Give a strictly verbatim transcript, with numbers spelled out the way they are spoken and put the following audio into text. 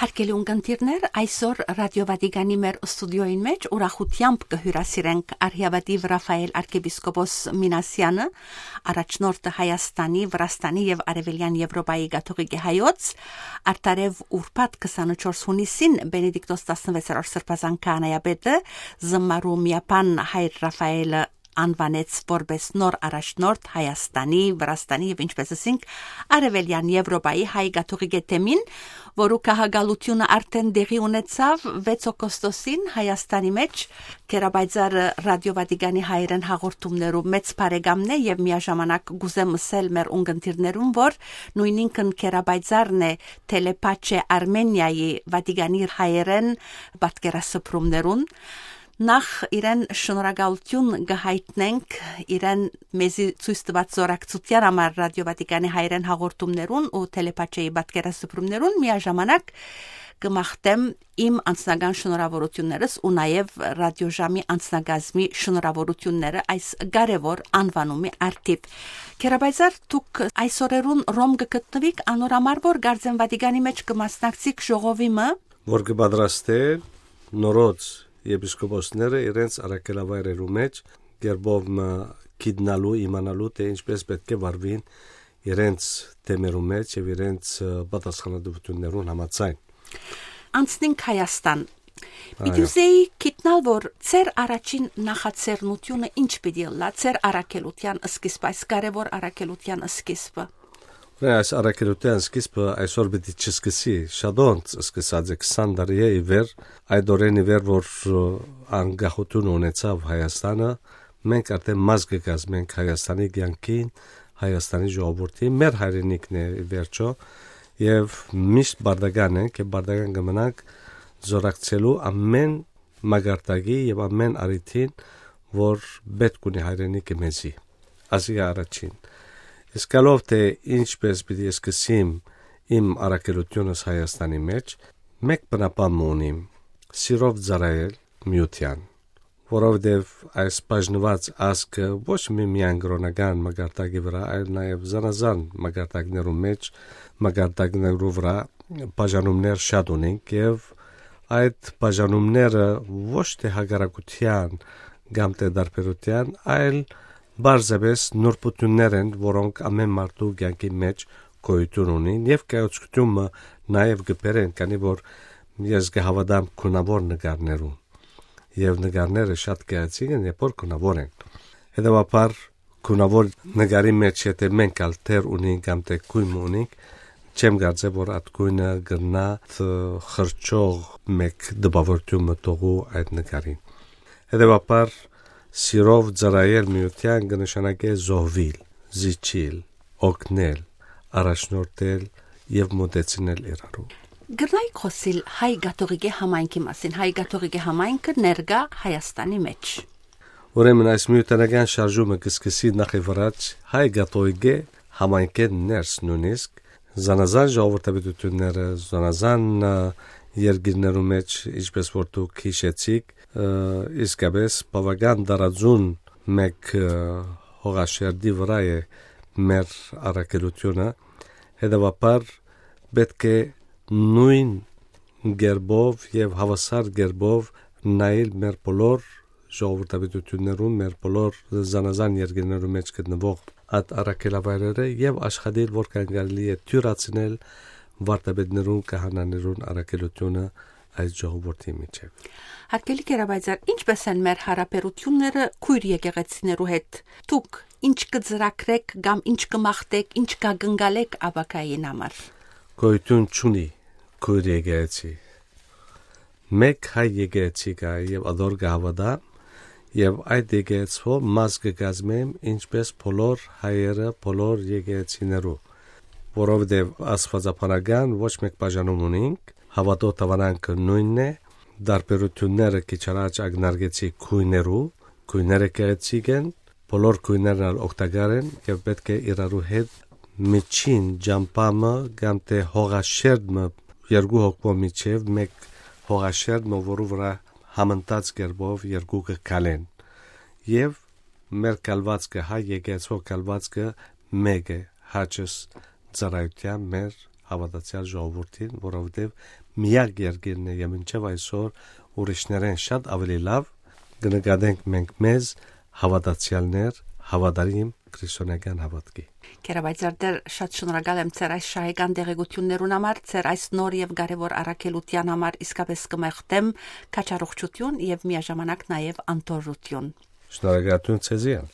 Հարգելի ունկնդիրներ, այսօր Ռադիո Վատիկանի մեր ստուդիոյին մէջ ուրախութեամբ կը հիւրասիրենք արհիավատիվ Ռաֆայել արքեպիսկոպոս Մինասեանը, առաջնորդը Հայաստանի, Վրաստանի եւ Արեւելեան Եվրոպայի կաթողիկէ հայոց, արդարեւ ուրբաթ քսանուչորս յունիսին Բենեդիկտոս տասնվեցերորդ սրբազան քահանայապետը զմարու միապան հայր Ռաֆայելը անուանեց որպէս նոր առաջնորդ Հայաստանի, Վրաստանի եւ, ինչպես ասինք, Արեւելեան Եվրոպայի հայ կաթողիկէ թեմին, որու գահակալութիւնը արդէն տեղի ունեցաւ վեց օգոստոսին Հայաստանի մէջ։ Կերապայծառը Ռադիո Վատիկանի հայերէն հաղորդումներու մեծ բարեկամն է եւ միաժամանակ կ'ուզեմ ըսել մեր ունկնդիրներուն, որ նոյնինքն կերապայծառն է Թելեպաչե Արմենիայի Վատիկանի հայերէն պատկերասփռումներուն։ Նախ իրեն շնորհակալութիւն կը յայտնենք իրեն մեզի ցոյց տուած զօրակցութեան համար Ռադիո Վատիկանի հայերէն հաղորդումներուն ու Թելեպաչեի պատկերասփռումներուն, միաժամանակ կը մաղթեմ իմ անձնական շնորհավորութիւններս ու նաեւ Ռադիոժամի անձնակազմի շնորհավորութիւնները այս կարեւոր անուանումի առթիւ։ Կերապայծառ, դուք այս օրերուն Ռոմ կը գտնուիք, անոր համար որ կարծեմ Վատիկանի մէջ կը մասնակցիք ժողովի մը։ Որ կը պատրաստէ նորոց եպիսկոպոսները իրենց առաքելավայրերու մէջ կերպով մը գիտնալու, իմանալու, թէ ինչպես պէտք է վարուին իրենց թեմերու մէջ եւ իրենց, ը, պատասխանատուութիւններուն համաձայն։ Անցնենք Հայաստան։ Պիտի Այո։ Ուզեի գիտնալ, որ ձեր առաջին նախաձեռնութիւնը ինչ պիտի ըլլայ, ձեր առաքելութեան սկիզբը, այս կարեւոր առաքելութեան սկիզբը։ Ուրեմն այս առաքելութեան սկիզբը այսօր պիտի չսկսի, շատ անց սկսած է, քսան տարի է ի վեր, այդ օրէն ի վեր, որ, ը, անկախութիւն ունեցաւ Հայաստանը, մենք արդէն մաս կը կազմենք Հայաստանի կեանքին, Հայաստանի ժողովրդին, մեր հայրենիքն է ի վերջոյ, եւ միշտ պարտական ենք եւ պարտական կը մնանք զօրակցելու ամէն մակարդակի եւ ամէն առիթին, որ պէտք ունի հայրենիքը մեզի։ Ասիկա առաջին։ Իսկ ալով թէ ինչպես պիտի սկսեմ իմ առաքելութիւնս Հայաստանի մէջ, մէկ բնապան մը ունիմ, սիրով ծառայել միութեան, որովհետեւ այս բաժնուած ազգը ոչ մի միայն կրօնական մակարդակի վրայ, այլ նաեւ զանազան մակարդակներու մէջ, մակարդակներու վրայ բաժանումներ շատ ունենք եւ այդ բաժանումները ոչ թէ հակառակութեան կամ թէ տարբերութեան, այլ պարզապէս նուրբութիւններ են, որոնք ամէն մարդու կեանքի մէջ գոյութիւն ունին եւ կայացկութիւն մը նաեւ կը բերեն, քանի որ ես կը հաւատամ գունաւոր նկարներուն եւ նկարները շատ գեղեցիկ են, երբ որ գունաւոր են։ Հետեւաբար, գունաւոր նկարի մէջ, եթե մենք ալ դեր ունենք կամ թէ գոյն մը ունենք, չեմ կարծեր, որ այդ գոյնը կրնայ դ-, խրճող մէկ տպաւորութիւն մը թողու այդ նկարին։ Հետեւաբար, սիրով ծառայել միութեան կը նշանակէ զոհուիլ, զիջիլ, օգնել, առաջնորդել եւ մօտեցնել իրարու։ Կրնայիք խօսիլ հայ կաթողիկէ համայնքի մասին, հայ կաթողիկէ համայնքը ներկայ Հայաստանի մէջ։ Ուրեմն այս միութենական շարժումը կը սկսի նախ եւ առաջ հայ կաթողիկէ համայնքէն ներս նոյնիսկ, զանազան ժողովրդապետութիւնները, զանազան, ը, երկիրներու մէջ, ինչպես որ դուք յիշեցիք, ը, իսկապէս բաւական տարածուն մէկ, ը, հողաշերտի վրայ է մեր առաքելութիւնը, հետեւաբար պէտք է նոյն կերպով եւ հաւասար կերպով նայել մեր բոլոր ժողովրդապետութիւններուն, մեր բոլոր զանազան երկիրներու մէջ գտնուող այդ առաքելավայրերը եւ աշխատել, որքան կարելի է դիւրացնել վարդապետներուն, քահանաներուն առաքելութիւնը այս ժողովրդի միջեւ։ Հարգելի Կերապայծառ, ինչպե՞ս են մեր յարաբերութիւնները քոյր եկեղեցիներու հետ։ Դուք ինչ կը ծրագրեք կամ ինչ կը մաղթեք, ինչ կակնկալեք ապագային համար։ Գոյութիւն չունի քոյր եկեղեցի։ Մէկ հայ եկեղեցի կայ եւ ատոր կը հաւատա, եւ այդ եկեղեցւոյ մաս կը կազմեմ, ինչպես բոլոր հայերը, բոլոր եկեղեցիներու, որովհետեւ աստուածաբանական ոչ մէկ բաժանում ունինք, հաւատոյ դաւանանքը նոյնն է, տարբերութիւնները քիչ առաջ ակնարկեցի գոյներու, գոյները գեղեցիկ են, բոլոր գոյներն ալ օգտակար են եւ պէտք է իրարու հետ միջին ճամբայ մը կամ թէ հողաշերտ մը, երկու հոգւոյ միջեւ մէկ հողաշերտ մը, որու վրայ համընթաց կերպով երկուքը քալեն։ Եւ մեր կալվածքը, հայ եկեղեցւոյ կալվածքը մէկ է, հաճս ծառայութեան մեր հաւատացեալ ժողովուրդին, որովհետեւ միակ երկիրն է եւ մինչեւ այսօր ուրիշներէն շատ աւելի լաւ կը նկատենք մենք մեզ հաւատացեալներ, հաւատարիմ քրիստոնեական հաւատքի։ Կերաբայցարդեր, շատ շնորհակալ եմ ձեր այս շահեկան տեղեկություններուն համար, ձեր այս նոր եւ կարեւոր առաքելութեան համար. իսկապէս կը մաղթեմ քաջառողջութիւն եւ միաժամանակ նաեւ անդորրութիւն։ Շնորհակալություն ձեզի ալ։